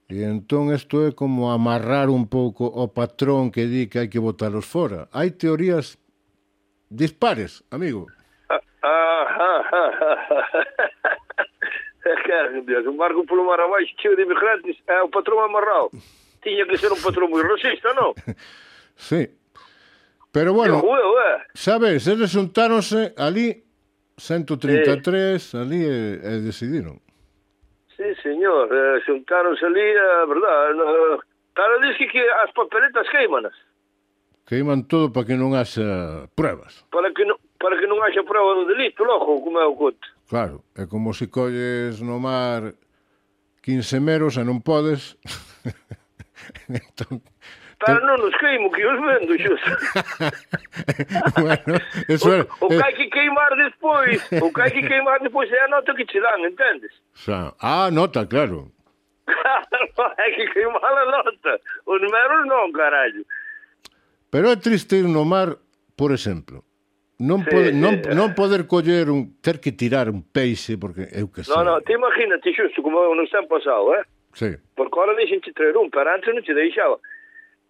E entón isto é como amarrar un pouco o patrón que di que hai que botalos fora. Hai teorías dispares, amigo. Ah, ah, ah, ah. Dios, un barco polo mar abaixo cheo de inmigrantes, é o patrón amarrado. Tiña que ser un patrón moi racista, non? Sí. Pero bueno, juego, eh? sabes, eles xuntáronse ali ciento treinta e tres, sí. ali e, e decidiron. Sí, señor, eh, xuntáronse ali, a verdade, no, claro, diz que, que as papeletas queimanas. Queiman todo para que non haxa pruebas. Para que non, para que non haxa prueba do delito, logo, como é o conto. Claro, é como se colles no mar quince meros e non podes. Entón, pero non nos queimo, que os vendo, xusto. Bueno, eso é... O, o que hai que queimar despois, o que hai que queimar despois é a nota que che dan, entendes? Xa. Ah, nota, claro. Claro, hai que queimar a nota. Os meros non, carallo. Pero é triste ir no mar, por exemplo. Non, Sí, pode, sí, non, eh. non poder coller un... ter que tirar un peixe, porque eu que sei. Non, non, te imagínate xusto como nos ten pasado, eh? Sí. Porque ahora deixen te traer un, pero antes non te deixaba.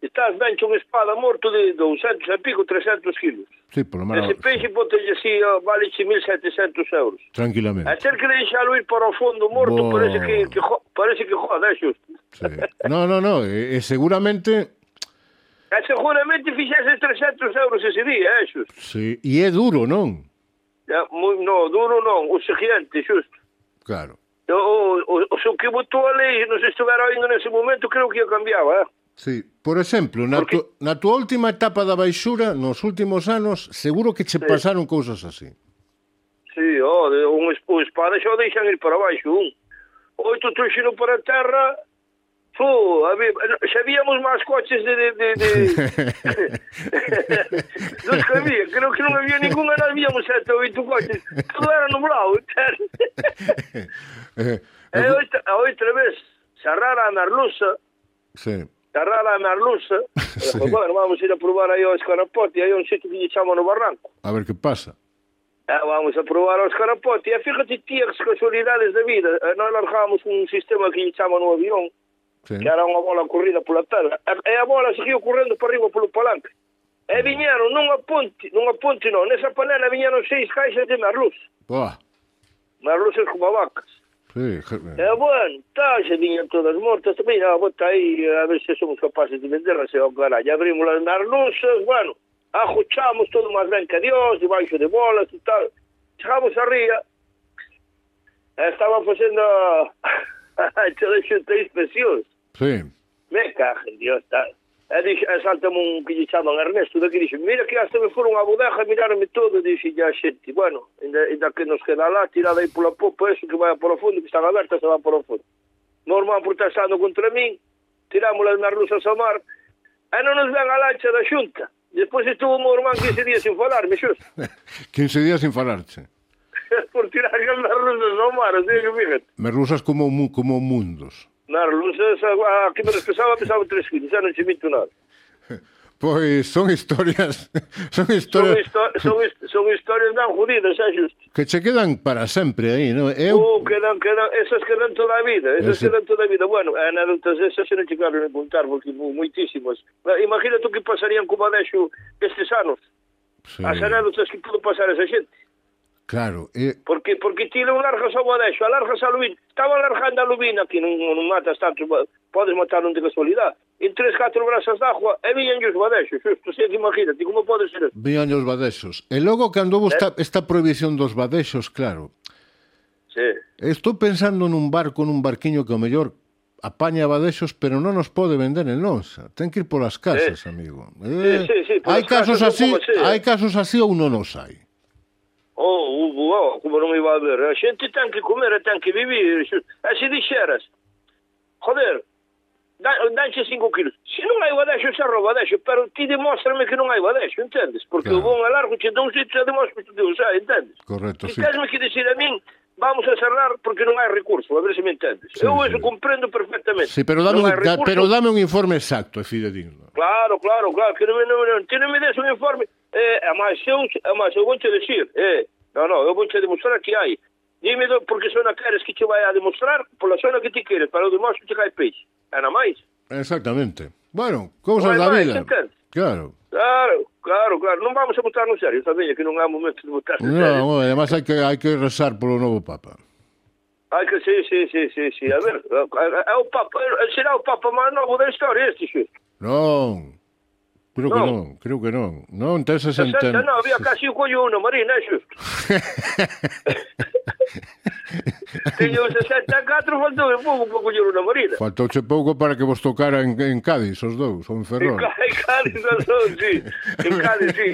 Estás ben unha espada morto de douscentos e pico, trescentos kilos. Sí, por lo menos. Ese peixe botelle así, vale mil setecentos euros. Tranquilamente. A ter que deixalo ir para o fondo morto, Bo... parece que, que jo, parece que joda, é xusto. Sí. No, no, no, e, e seguramente... E seguramente fixese trescentos euros ese día, é xusto. Sí, e é duro, non? Ya, moi, no, duro non, o seguinte, xusto. Claro. O, o, o, o que botou a lei, non se estivera oindo nese momento, creo que ia cambiaba, eh? Sí, por exemplo, na, Porque... tu, na tua última etapa da baixura, nos últimos anos, seguro que che Sí. pasaron cousas así. Sí, oh, de, un, un espada xa o deixan ir para baixo, un. Oito truxino para a terra, fu, había, xa víamos máis coches de... de, de, de... dos que había, creo que non había ninguna, nós víamos sete ou oito coches, todo era nublado, entende? eh, E outra, a outra vez, cerrara a merluza, sí. cerrara a merluza, Sí. e, bueno, vamos ir a probar aí ao escarapote, aí un sitio que lle chaman no Barranco. A ver que pasa. Eh, vamos a probar ao escarapote. E fíjate, tía, as casualidades da vida. Eh, nós largábamos un sistema que lle chaman no avión, Sí. que era unha bola corrida pola terra. E, e a bola seguiu correndo para arriba polo palanque. E viñeron nunha ponte, nunha ponte non, nesa panela viñeron seis caixas de merluz. Boa. Merluzas como vacas. Sí. E, bueno, tá, se viñan todas mortas. Tambén, ah, bota aí, a ver se somos capaces de venderlas. E, oh, caray, abrimos as merluzas, bueno, ajuchamos todo máis ben que Dios, debaixo de bolas e tal. Chegamos a ría, e estaban facendo a toda xunta de inspeccións. Sí. Me cajen, Dios, tal. E dixo, e saltame un que lle chaman Ernesto, daqui dixo, mira que hasta me foron a bodega, miraronme todo, e dixo, ya xente, bueno, ainda, ainda que nos queda lá, tirada aí pola popa, eso que vai por o fondo, que están abertas, se va por o fondo. Normal protestando contra min, tiramos as merluzas ao mar, e non nos ven a lancha da xunta. Despois estuvo o meu irmán quince días sin falarme, xusto. quince días sin falarche. Por tirar as merluzas ao mar, así que fíjate. Merluzas como, mu- como mundos. Merluzas, a que me les pesaba, pesaba tres kilos, xa non che minto nada. Pois son historias, son Son, historias histo son, hist son historias ben jodidas, xa xusto. que che quedan para sempre aí, non? Eu, Oh, quedan, quedan, esas quedan toda a vida, esas Ese... quedan toda a vida. Bueno, anécdotas esas se non chegaron a contar, porque moitísimas. Imagínate o que pasarían como adexo estes anos. Sí. As anécdotas que pudo pasar esa xente. Claro, e... Porque porque ti non largas ao adexo, alargas a lubina. Estaban largando a lubina, que non, non matas tanto, podes matar un de casualidade. En tres, catro brasas de agua, e viñan os badexos, xusto, sei que imagínate, como pode ser eso? Viñan os badexos. E logo, cando houve Eh? esta, esta prohibición dos badexos, claro, Sí. estou pensando nun barco, nun barquiño que o mellor apaña badexos, pero non nos pode vender en lonxa. Ten que ir polas casas, Sí. amigo. Sí, Eh, sí, sí, polas hai casos casas así, non como sea. hai casos así ou non os hai. Oh, oh, como non me iba a ver. A xente ten que comer e ten que vivir. E se dixeras, joder, danche cinco kilos. Se non hai badexo, xa rouba badexo, pero ti demóstrame que non hai badexo, entendes? Porque Claro. o bon a largo che dá un sitio e demostras que Deus hai, entendes? Correcto, E sí. tesme que dicir a min, vamos a cerrar porque non hai recurso, a ver se me entendes. Sí, Eu sí. eso comprendo perfectamente. Sí, pero dame, Non un, hai da, recurso. pero dame un informe exacto e fidedigno. Claro, claro, claro, que non, non, non, ti non me des un informe, eh, a máis eu, a máis eu vou te decir, eh, no, no, eu vou te demostrar que hai. Dime do, porque zona queres que te vai a demostrar, pola zona que ti queres, para o demostro que hai peixe. É na máis. Exactamente. Bueno, cousas Non hai da máis, vida. entendes? Claro. Claro, claro, claro, non vamos a botar no serio, sabes que non é o momento de botar no serio. No, además hai que hai que rezar polo novo Papa. Hai que, sí, sí, sí, sí, sí, a ver, é o Papa, será o Papa máis novo da historia este, xusto. Non. Creo que Non. non, creo que non. Non ten sesenta... sesenta, non, había casi o collo uno, Marina, é xusto. teño sesenta e catro, faltou un pouco para coller unha marina. Faltouche pouco para que vos tocara en, en Cádiz, os dous, ou en Ferrol. En Cádiz, os dous, sí. En Cádiz, sí,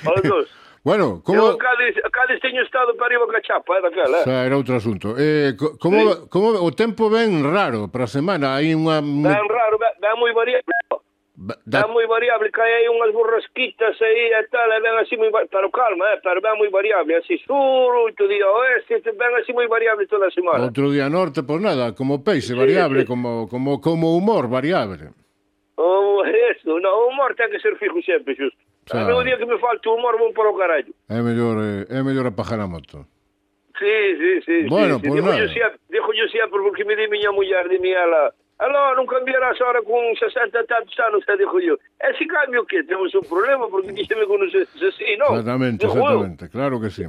os dous. Bueno, como... Eu en Cádiz, Cádiz teño estado para arriba ca chapa, é daquela, eh? Xa, era outro asunto. Eh, como, sí. como o tempo ben raro para a semana? Hai unha... Ben raro, ben, ben moi variable. Da... Ben moi variable, que hai unhas borrasquitas aí e tal, e ben así moi... Pero calma, eh, pero ben moi variable, así sur, outro día oeste, ben así moi variable toda a semana. Outro día norte, pois nada, como peixe variable, sí, sí. Como, como, como humor variable. Oh, eso, no, o humor ten que ser fijo sempre, xusto. A mí o día que me falta o humor vou para o carallo. É mellor, é mellor apagar a moto. Sí, sí, sí. Bueno, sí, pois sí. nada. Dijo yo sempre, porque me di miña muller, di miña ela, aló, non cambiarás ahora con sesenta e tantos anos, e dijo yo, e se cambio que temos un problema, porque ti se me conoces así, non? Exactamente, exactamente, claro que sí.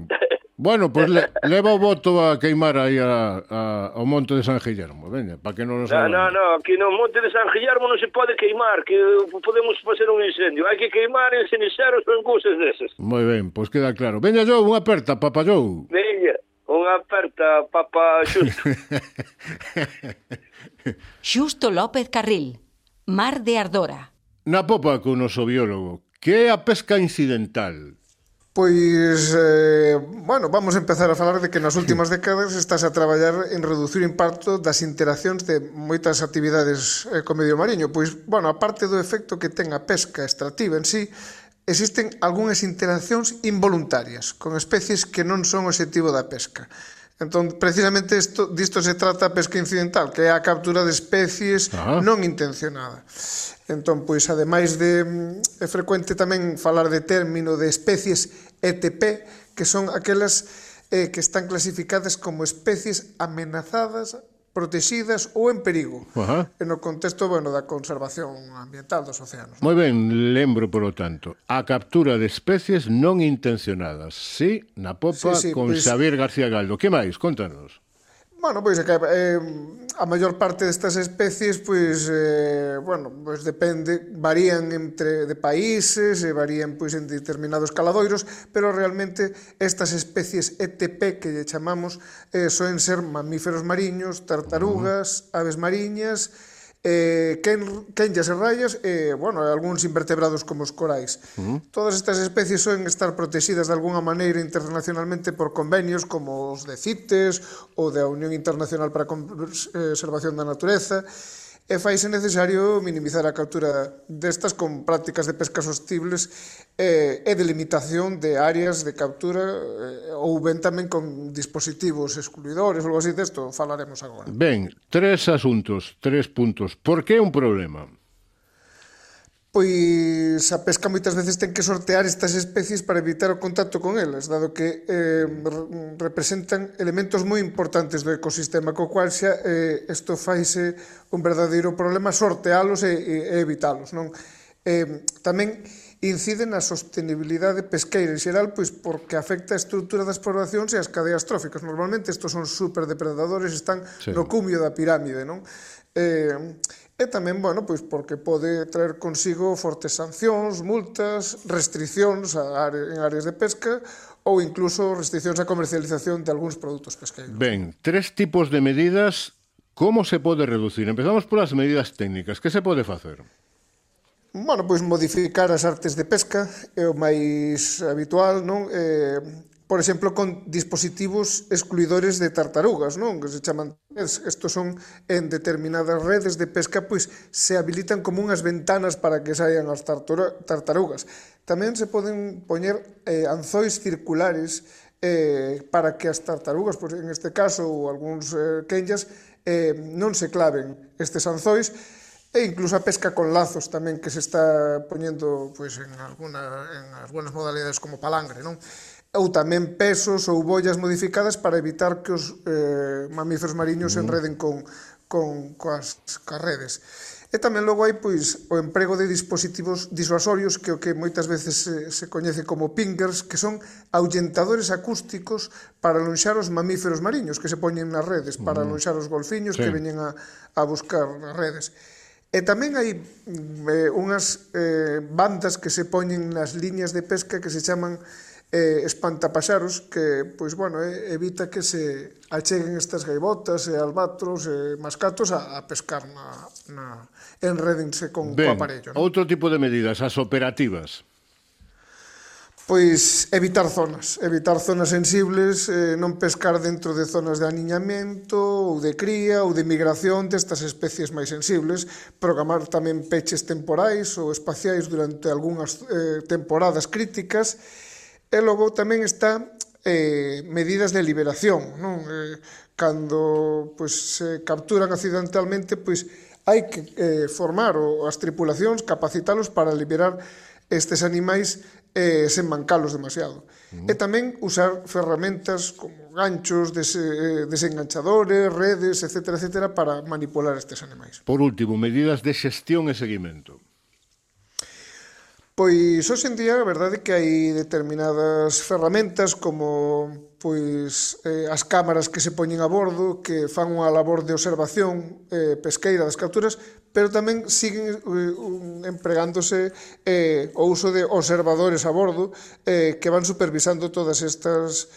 Bueno, pois pues le, leva o voto a queimar aí a, a, ao Monte de San Guillermo, veña, para que non nos... No, no, no, aquí no Monte de San Guillermo non se pode queimar, que podemos facer un incendio. Hai que queimar en ceniceros ou en cousas desas. Moi ben, pois pues queda claro. Veña, Jou, unha aperta, Papa Jou. Veña, unha aperta, Papa Xusto. Xusto López Carril, Mar de Ardora. Na popa con o noso biólogo, que é a pesca incidental? Pois, eh, bueno, vamos a empezar a falar de que nas últimas décadas estás a traballar en reducir o impacto das interaccións de moitas actividades eh, co medio mariño. Pois, bueno, aparte do efecto que ten a pesca extractiva en sí, existen algunhas interaccións involuntarias con especies que non son o obxectivo da pesca. Entón, precisamente isto, disto se trata a pesca incidental, que é a captura de especies ah. non intencionada. Entón, pois, ademais de... É frecuente tamén falar de término de especies E T P, que son aquelas eh, que están clasificadas como especies amenazadas, protegidas ou en perigo, uh-huh. en o contexto, bueno, da conservación ambiental dos océanos. Moi ben, lembro, polo tanto, a captura de especies non intencionadas, sí, na popa sí, sí, con pues... Xavier García Galdo. Que máis? Contanos. Bueno, pois é que eh, a maior parte destas especies, pois, eh, bueno, pois depende, varían entre de países, e varían pois en determinados caladoiros, pero realmente estas especies E T P que lle chamamos eh, soen ser mamíferos mariños, tartarugas, uh-huh. aves mariñas, eh, quenllas e rayas e, bueno, algúns invertebrados como os corais. Uh-huh. Todas estas especies soen estar protegidas de alguna maneira internacionalmente por convenios como os de CITES ou da Unión Internacional para a Conservación da Natureza, e faise necesario minimizar a captura destas con prácticas de pesca sostibles e, e de limitación de áreas de captura e, ou ben tamén con dispositivos excluidores ou algo así, desto falaremos agora. Ben, tres asuntos, tres puntos. Por que é un problema? Pois a pesca moitas veces ten que sortear estas especies para evitar o contacto con elas, dado que eh, representan elementos moi importantes do ecosistema, co cual xa eh, isto faise un verdadeiro problema sortealos e, e evitalos, non? Eh, tamén incide na sostenibilidade pesqueira en xeral, pois porque afecta a estrutura das poblacións e as cadeas tróficas. Normalmente estos son superdepredadores, están sí. no cumio da pirámide, non? Eh, E tamén, bueno, pois porque pode traer consigo fortes sancións, multas, restriccións a área, en áreas de pesca ou incluso restriccións á comercialización de algúns produtos pesqueiros. Ben, tres tipos de medidas, como se pode reducir? Empezamos polas medidas técnicas. Que se pode facer? Bueno, pois modificar as artes de pesca é o máis habitual, non? Eh, por exemplo, con dispositivos excluidores de tartarugas, non? Que se chaman, estos son en determinadas redes de pesca, pois se habilitan como unhas ventanas para que saian as tartarugas. Tamén se poden poñer eh, anzois circulares eh, para que as tartarugas, pois en este caso, ou algúns eh, quenllas, eh, non se claven estes anzois, e incluso a pesca con lazos tamén que se está poñendo pois, en, alguna, en algunas modalidades como palangre, non? Ou tamén pesos ou bollas modificadas para evitar que os eh, mamíferos mariños se enreden con, con, coas, coas redes. E tamén logo hai pois, o emprego de dispositivos disuasorios que o que moitas veces se, se coñece como pingers, que son ahuyentadores acústicos para alonxar os mamíferos mariños que se poñen nas redes, para alonxar os golfiños sí. que veñen a, a buscar as redes. E tamén hai eh, unhas eh, bandas que se poñen nas liñas de pesca que se chaman eh, espantapaxaros que, pois, bueno, eh, evita que se acheguen estas gaivotas e albatros e mascatos a, a pescar na, na enredense con ben, o aparello. ¿No? Outro tipo de medidas, as operativas. Pois evitar zonas, evitar zonas sensibles, eh, non pescar dentro de zonas de aniñamento ou de cría ou de migración destas especies máis sensibles, programar tamén peches temporais ou espaciais durante algunhas eh, temporadas críticas, e logo tamén está eh, medidas de liberación, non? Eh, cando pois, se capturan accidentalmente, pois hai que eh, formar o, as tripulacións, capacitalos para liberar estes animais eh, sen mancalos demasiado. Uh-huh. E tamén usar ferramentas como ganchos, des, eh, desenganchadores, redes, etcétera, etcétera, para manipular estes animais. Por último, medidas de xestión e seguimento. Pois, hoxe en día, a verdade é que hai determinadas ferramentas como pois eh, as cámaras que se poñen a bordo, que fan unha labor de observación eh, pesqueira das capturas, pero tamén siguen eh, un, empregándose eh, o uso de observadores a bordo eh, que van supervisando todas estas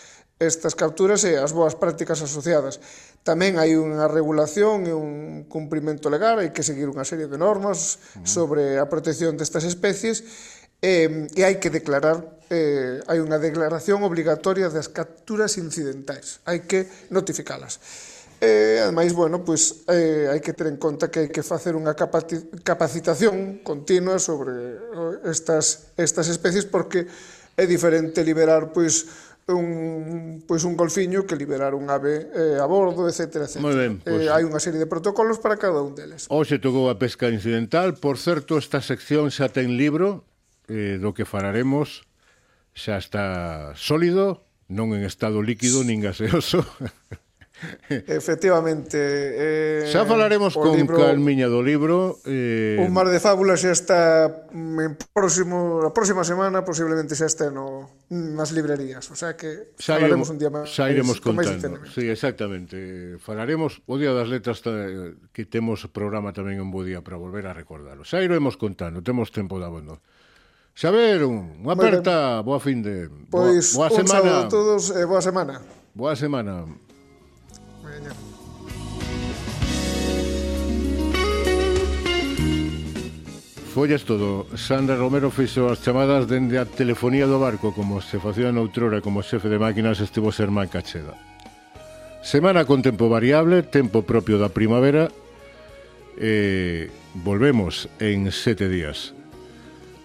estas capturas e as boas prácticas asociadas. Tamén hai unha regulación e un cumprimento legal, hai que seguir unha serie de normas sobre a protección destas especies e, e hai que declarar, eh, hai unha declaración obligatoria das capturas incidentais, hai que notificalas. E, ademais, bueno, pois, eh, hai que ter en conta que hai que facer unha capacitación continua sobre estas, estas especies porque é diferente liberar, pois, un, pois un golfiño que liberar un ave eh, a bordo, etcétera, etcétera. Moi ben, pois, eh, hai unha serie de protocolos para cada un deles. Hoxe tocou a pesca incidental. Por certo, esta sección xa ten libro eh, do que falaremos. Xa está sólido, non en estado líquido nin gaseoso. Efectivamente. Eh, xa falaremos con libro, calmiña do libro. Eh... Un mar de fábulas xa está en próximo, a próxima semana, posiblemente xa está no, nas librerías. O sea que xa falaremos iremos, un día máis. Xa iremos contando. Sí, exactamente. Falaremos o Día das Letras, que temos programa tamén un bo día para volver a recordarlo. Xa iremos contando, temos tempo de abondo. Xaver, unha aperta, boa fin de... Pois, boa, boa un semana. saludo a todos e boa semana. Boa semana. Veña. Follas todo. Sandra Romero fixo as chamadas dende a telefonía do barco, como se facía noutrora como xefe de máquinas estivo Sermán Cacheda. Semana con tempo variable, tempo propio da primavera, e volvemos en sete días.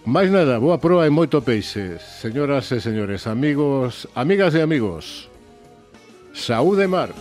Máis nada, boa proa e moito peixe. Señoras e señores, amigos, amigas e amigos, saúde mar.